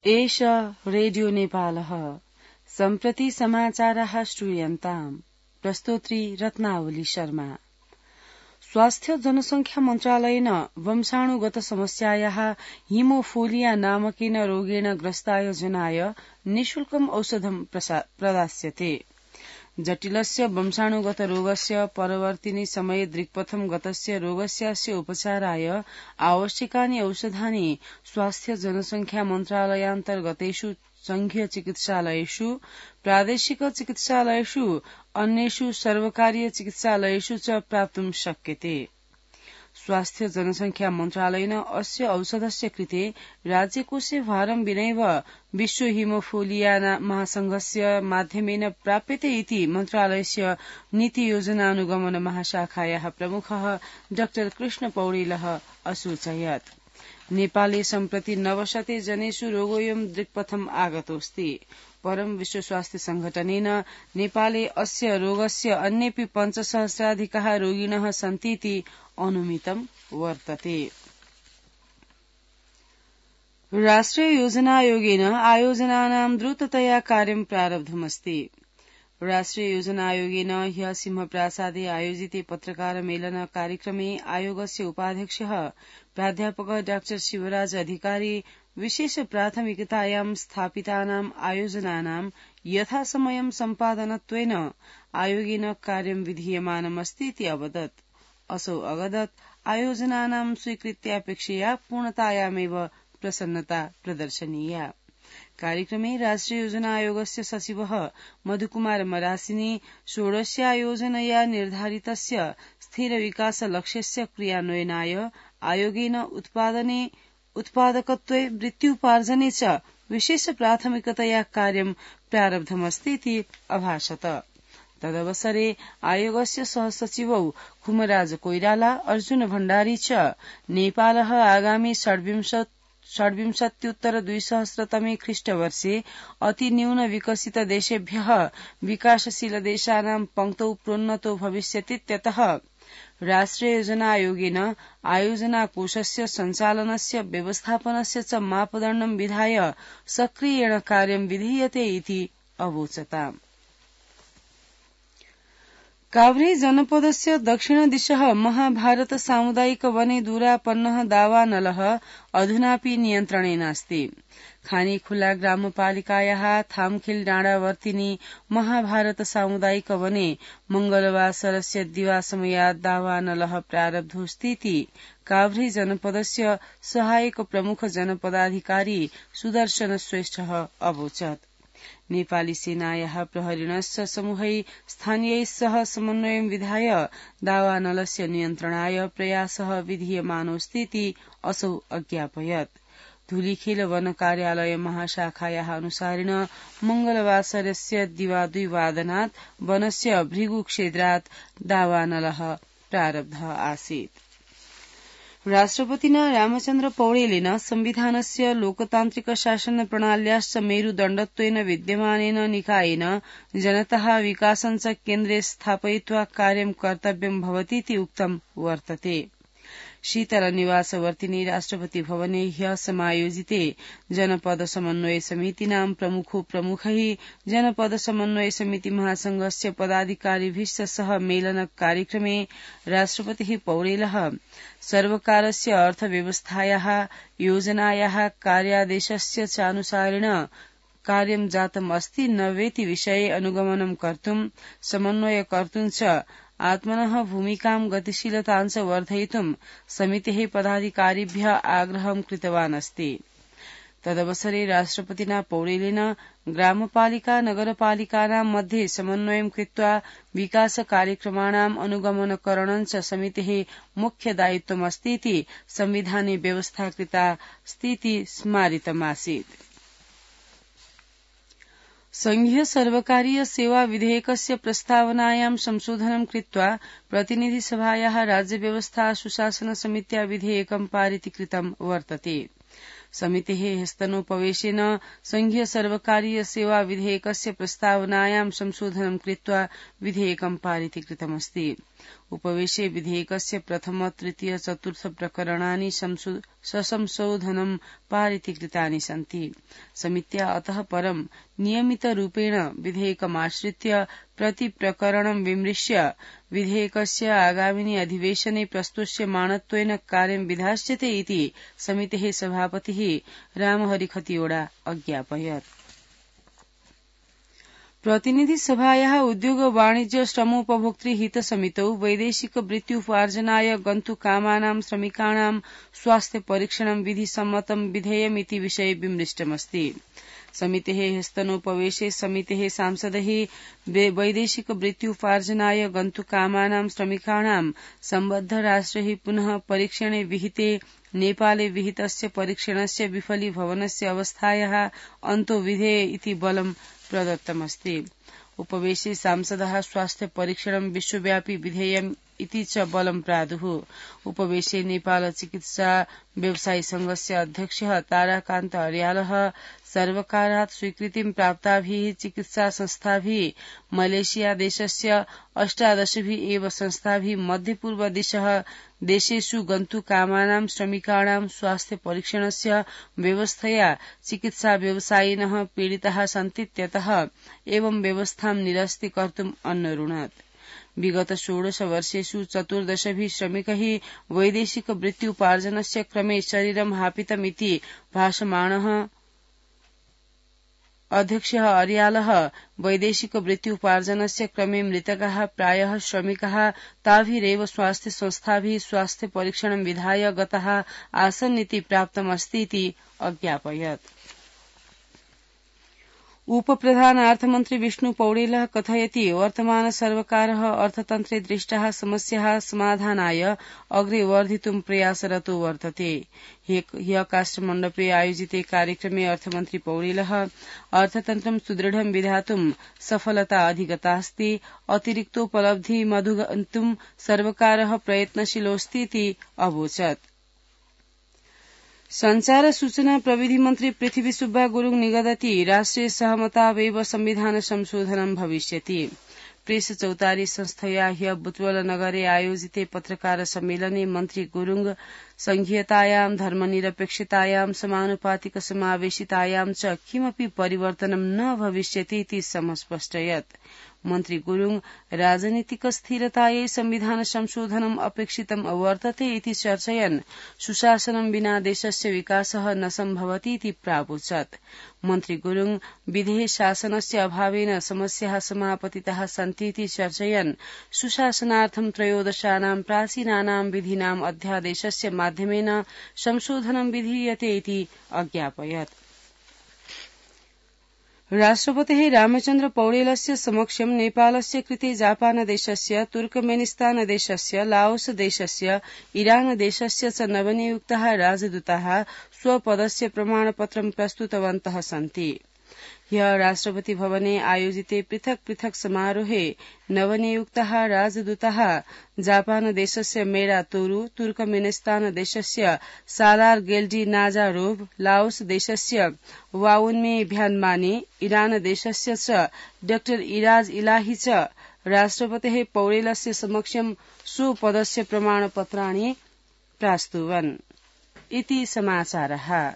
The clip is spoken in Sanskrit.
एष रेडियो नेपालः सम्प्रति समाचाराः श्रूयन्ताम्। प्रस्तोत्री रत्नावली शर्मा। स्वास्थ्य जनसंख्या मन्त्रालयेन वंशाणुगत समस्यायाः हिमोफोलिया नामकेन रोगेण ग्रस्ताय जनाय निःशुल्कम् औषधं प्रदास्यते। जटिलस्य वंशाणुगत रोगस्य परवर्तिनि समये दिक्पथं गतस्य रोगस्यास्य उपचाराय आवश्यकानि औषधानि स्वास्थ्य जनसंख्या मन्त्रालयान्तर्गतेषु संघीय चिकित्सालयेषु, प्रादेशिक चिकित्सालयेषु, अन्येषु सर्वकारीय चिकित्सालयेषु च प्राप्तुं शक्यते। स्वास्थ्य जनसंख्या मन्त्रालयेन अस्य औषधस्य कृते राज्यकोषे भारं विनैव विश्व हिमोफोलिया महासंघस्य माध्यमेन प्राप्यते इति मन्त्रालयस्य नीति योजनानुगमन महाशाखायाः प्रमुखः डॉ कृष्ण पौडेलः असूचयत्। नेपाले सम्प्रति 900 जनेषु रोगोऽयं दिक्पथम् आगतोऽस्ति। परं विश्व स्वास्थ्य संघटनेन नेपाले अस्य रोगस्य अन्येऽपि 5,000,000 रोगिणः सन्तीति अनुमितं वर्तते। राष्ट्रिय योजना आयोगेन आयोजनानां द्रुततया कार्यं प्रारब्धमस्ति। राष्ट्रिय योजना आयोगेन ह्यः सिंहप्रासादे आयोजिते पत्रकार मेलन कार्यक्रमे आयोगस्य उपाध्यक्षः प्राध्यापक डॉ शिवराज अधिकारी विशेष प्राथमिकतायां स्थापितानां आयोजनानां यथासमयं सम्पादनत्वेन आयोगेन कार्यं विधीयमानमस्तीति अवदत्। असौ अवदत् आयोजनानां स्वीकृत्यापेक्षया पूर्णतायामेव प्रसन्नता प्रदर्शनीया। कार्यक्रमे राष्ट्रिय योजना आयोगस्य सचिवः मधुकुमार मरासिनी षोडश्यायोजनया निर्धारितस्य स्थिर विकास लक्ष्यस्य क्रियान्वयनाय आयोगेन उत्पादकत्वे वृत्त्युपार्जने च विशेष प्राथमिकतया कार्यं प्रारब्धमस्तीति अभाषत। तदवसरे आयोगस्य सहसचिवौ खुमराज कोइराला, अर्जुन भण्डारी च नेपालः आगामी षड्विंशत्युत्तर 2000 ख्रीष्टवर्षे अतिन्यून विकसित देशेभ्यः विकासशील देशानां पंक्तौ प्रोन्नतो भविष्यतीत्यतः राष्ट्रिय योजना आयोगेन आयोजना कोषस्य सञ्चालनस्य व्यवस्थापनस्य च मापदण्डं विधाय सक्रियेण कार्यं विधीयते इति अवोचताम्। काभ्रे जनपदस्य दक्षिणदिशः महाभारत सामुदायिक वने दूरापन्नः दावानलः अधुनापि नियन्त्रणे नास्ति। खानीखुला ग्रामपालिकायाः थामखिल डाँडावर्तिनी महाभारत सामुदायिक वने मंगलवासरस्य दिवासमयात् दावानलः प्रारब्धोऽस्तीति काभ्रे जनपदस्य सहायक प्रमुख जनपदाधिकारी सुदर्शन श्रेष्ठः अवोचत्। नेपाली सेनायाः प्रहरिणश्च समूहै स्थानीयैः सह समन्वयं विधाय दावानलस्य नियन्त्रणाय प्रयासः विधीयमानोऽस्तीति असौ अज्ञापयत्। धुलीखेल वन कार्यालय महाशाखायाः अनुसारेण मंगलवासरस्य दिवा 2 वादनात् वनस्य भृगुक्षेत्रात् दावानलः प्रारब्धः आसीत्। राष्ट्रपतिना रामचन्द्र पौडेलेन संविधानस्य लोकतान्त्रिक शासन प्रणाल्याश्च मेरुदण्डत्वेन विद्यमानेन निकायेन जनतः विकासञ्च केन्द्रे स्थापयित्वा कार्यं कर्तव्यं भवतीति उक्तं वर्तते। शीतल निवासवर्तिनी राष्ट्रपति भवने ह्यः समायोजिते जनपद समन्वय समितीनां प्रमुखैः जनपद समन्वय समिति महासंघस्य पदाधिकारिभिश्च सह मेलन कार्यक्रमे राष्ट्रपतिः पौडेलः सर्वकारस्य अर्थव्यवस्थायाः योजनायाः कार्यादेशस्य चानुसारेण कार्यं जातम् अस्ति न वेति विषये अनुगमनं कर्तुं समन्वय कर्तुं च आत्मनः भूमिकां गतिशीलतां च वर्धयितुं समितेः पदाधिकारिभ्यः आग्रहं कृतवान् अस्ति। तदवसरे राष्ट्रपतिना पौडेलेन ग्रामपालिका नगरपालिकानां मध्ये समन्वयं कृत्वा विकास कार्यक्रमाणां अनुगमनकरणं च समितेः मुख्य दायित्वमस्तीति संविधाने व्यवस्था कृतास्तीति स्मारितमासीत्। संघीय सर्वकारीय सेवा विधेयकस्य प्रस्तावनायां संशोधनं कृत्वा प्रतिनिधिसभायाः राज्यव्यवस्था सुशासन समित्या विधेयकं पारितीकृतं वर्तते। समितेः हस्तनोपवेशेन संघीय सर्वकारीय सेवा विधेयकस्य प्रस्तावनायां संशोधनं कृत्वा विधेयकं पारितीकृतमस्ति। उपवेशे विधेयकस्य प्रथम तृतीय चतुर्थ प्रकरणानि ससंशोधनं पारितीकृतानि सन्ति। समित्या अतः परं नियमितरूपेण विधेयकमाश्रित्य प्रति प्रकरणं विमृश्य विधेयकस्य आगामिनि अधिवेशने प्रस्तुष्यमाणत्वेन कार्यं विधास्यते इति समितेः सभापतिः रामहरि खतिवड़ा अज्ञापयत्। प्रतिनिधि सभायाः उद्योग वाणिज्य श्रमोपभोक्तृ हित समितौ वैदेशिक वृत्त्युपार्जनाय गन्तुकामानां श्रमिकाणां स्वास्थ्य परीक्षणं विधिसम्मतं विधेयमिति विषये विमृष्टमस्ति। समितेः हस्तनोपवेशे समितेः सांसदैः वैदेशिक वृत्त्युपार्जनाय गन्तुकामानां श्रमिकाणां सम्बद्ध राष्ट्रैः पुनः परीक्षणे विहिते नेपाले विहितस्य परीक्षणस्य विफलीभवनस्य अवस्थायाः अन्तो विधेय इति बलं प्रदत्तमस्ति। उपवेशे सांसदः स्वास्थ्य परीक्षणं विश्वव्यापी विधेयम् इति च बलं प्रादुः। उपवेशे नेपाल चिकित्सा व्यवसायी संघस्य अध्यक्षः ताराकान्त अर्यालः सर्वकारात् स्वीकृतिं प्राप्ताभिः चिकित्सा संस्थाभिः मलेशिया देशस्य 18 एव संस्थाभिः मध्यपूर्वदिशः देशेषु गन्तुकामानां श्रमिकाणां स्वास्थ्य परीक्षणस्य व्यवस्थया चिकित्सा व्यवसायिनः पीडिताः सन्तीत्यतः एवं व्यवस्थां निरस्तीकर्तुम् अन्नरुणत्। विगत 16 वर्षेषु 14 श्रमिकैः वैदेशिक वृत्त्युपार्जनस्य क्रमे शरीरं हापितमिति भाषमाणः अध्यक्षः अर्यालः वैदेशिक वृत्त्युपार्जनस्य क्रमे मृतकाः प्रायः श्रमिकाः ताभिरेव स्वास्थ्य संस्थाभिः स्वास्थ्य परीक्षणं विधाय गताः आसन्निति प्राप्तमस्तीति अज्ञापयत्। उपप्रधान अर्थमन्त्री विष्णु पौडेलः कथयति वर्तमान सर्वकारः अर्थतन्त्रे दृष्टाः समस्याः समाधानाय अग्रे वर्धितुं प्रयासरतो वर्तते। ह्यः काष्ठमण्डपे आयोजिते कार्यक्रमे अर्थमन्त्री पौडेलः अर्थतन्त्रं सुदृढं विधातुं सफलता अधिगतास्ति, अतिरिक्तोपलब्धिमधिगन्तुं सर्वकारः प्रयत्नशीलोऽस्तीति अवोचत्। संचार सूचना प्रविधि मन्त्री पृथ्वी सुब्बा गुरुङ निगदति राष्ट्रिय सहमतावेव संविधान संशोधनं भविष्यति। प्रेस चौतारी संस्थया ह्यः बुटवल-नगरे आयोजिते पत्रकार सम्मेलने मन्त्री गुरुङ संघीयतायां धर्मनिरपेक्षतायां समानुपातिक समावेशितायां च किमपि परिवर्तनं न भविष्यति इति समस्पष्टयत्। मन्त्री गुरुङ राजनीतिक स्थिरतायै संविधान संशोधनम् अपेक्षितम् अवर्तते इति चर्चयन् सुशासनं विना देशस्य विकासः न सम्भवति इति प्रावोचत्। मन्त्री गुरुङ विधेय शासनस्य अभावेन समस्याः समापतिताः सन्ति इति चर्चयन् सुशासनार्थं त्रयोदशानां प्राचीनानां विधीनां अध्यादेशस्य माध्यमेन संशोधनं विधीयते इति अज्ञापयत्। राष्ट्रपतेः रामचन्द्र पौडेलस्य समक्षं नेपालस्य कृते जापानदेशस्य तुर्कमेनिस्तानदेशस्य लाओसदेशस्य इरानदेशस्य च नवनियुक्ताः राजदूताः स्वपदस्य प्रमाणपत्रं प्रस्तुतवन्तः सन्ति। ह्यः राष्ट्रपति भवने आयोजिते पृथक् पृथक् समारोहे नवनियुक्ताः राजदूताः जापानदेशस्य मेरा तोरु, तुर्कमेनिस्तानदेशस्य सालार गेल्डी नाजारोभ, लाओसदेशस्य वाउन्मे भ्यानमाने, इरानदेशस्य च डॉ इराज इलाही च राष्ट्रपतेः पौडेलस्य समक्षं स्वपदस्य प्रमाणपत्राणि प्रास्तुवन् इति समाचारः।